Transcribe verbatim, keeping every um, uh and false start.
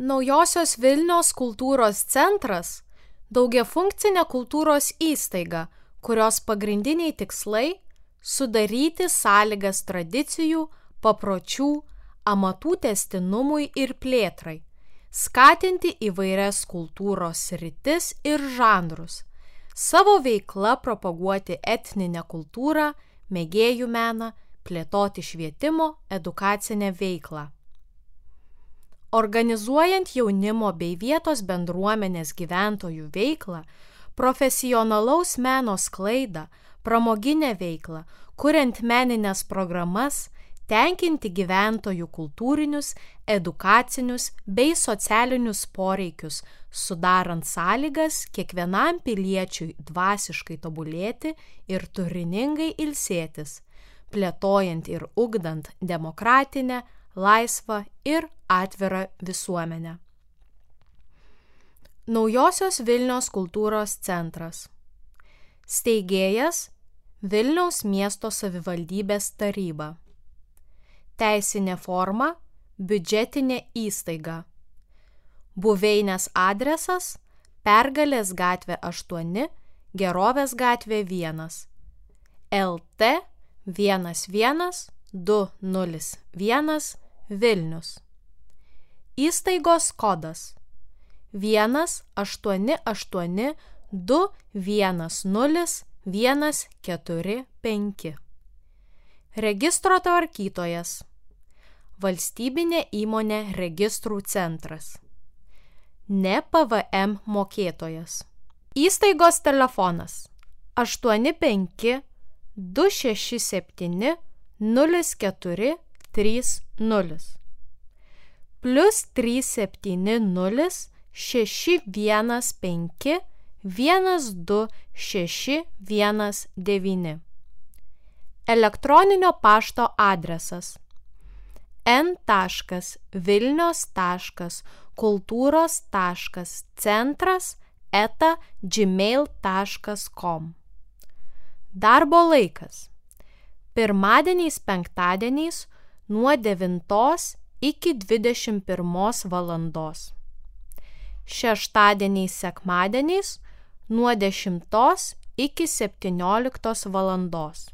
Naujosios Vilnios kultūros centras – daugiafunkcinė kultūros įstaiga, kurios pagrindiniai tikslai – sudaryti sąlygas tradicijų, papročių, amatų tęstinumui ir plėtrai, skatinti įvairias kultūros sritis ir žanrus, savo veikla propaguoti etninę kultūrą, mėgėjų meną, plėtoti švietimo, edukacinę veiklą. Organizuojant jaunimo bei vietos bendruomenės gyventojų veiklą, profesionalaus meno sklaidą, pramoginę veiklą, kuriant menines programas, tenkinti gyventojų kultūrinius, edukacinius bei socialinius poreikius, sudarant sąlygas kiekvienam piliečiui dvasiškai tobulėti ir turiningai ilsėtis, plėtojant ir ugdant demokratinę, laisvą ir atvirą visuomenę. Naujosios Vilnios kultūros centras. Steigėjas Vilniaus miesto savivaldybės taryba. Teisinė forma biudžetinė įstaiga. Buveinės adresas Pergalės gatvė aštuoni, Gerovės gatvė vienas. L T vienas vienas du nulis vienas Vilnius. Įstaigos kodas vienas aštuoni aštuoni du vienas nulis vienas keturi penki. Registro tvarkytojas Valstybinė įmonė Registrų centras. Ne P V M mokėtojas. Įstaigos telefonas aštuoni penki du šeši septyni nulis keturi trys nulis. Plius trys septyni nulis šeši vienas penki vienas du šeši vienas devyni. Elektroninio pašto adresas n taškas vilnios taškas kultūros taškas centras eta gmail taškas com. Darbo laikas pirmadieniais penktadieniais nuo devintos iki dvidešimt pirmos valandos. Šeštadieniais sekmadieniais nuo dešimtos iki septynioliktos valandos.